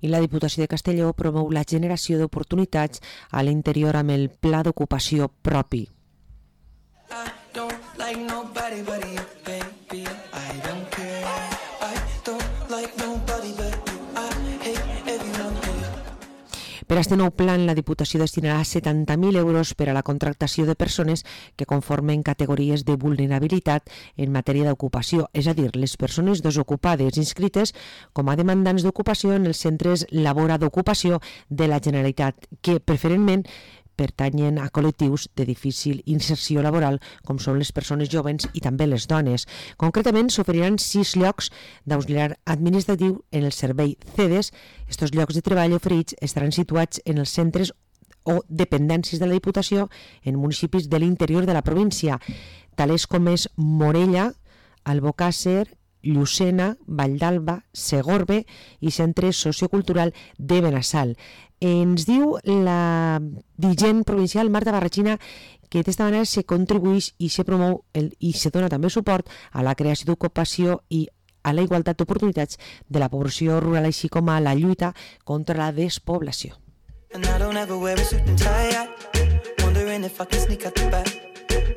I la Diputació de Castelló promou la generació d'oportunitats a l'interior amb el Pla d'Ocupació propi. Per a este nou plan, la Diputació destinarà 70.000 euros per a la contractació de persones que conformen categories de vulnerabilitat en matèria d'ocupació, és a dir, les persones desocupades inscrites com a demandants d'ocupació en els centres Labora d'Ocupació de la Generalitat, que preferentment pertanyen a col·lectius de difícil inserció laboral, com són les persones joves i també les dones. Concretament, s'oferiran 6 llocs d'auxiliar administratiu en el servei CEDES. Estos llocs de treball oferits estaran situats en els centres o dependències de la Diputació en municipis de l'interior de la província, tals com és Morella, Albocàsser, Llucena, Valldalba, Segorbe i Centre Sociocultural de Benassal. Ens diu la dirigent provincial Marta Barrachina que d'esta manera se contribueix i se promou i se dona també suport a la creació d'ocupació i a la igualtat d'oportunitats de la població rural, així com a la lluita contra la despoblació.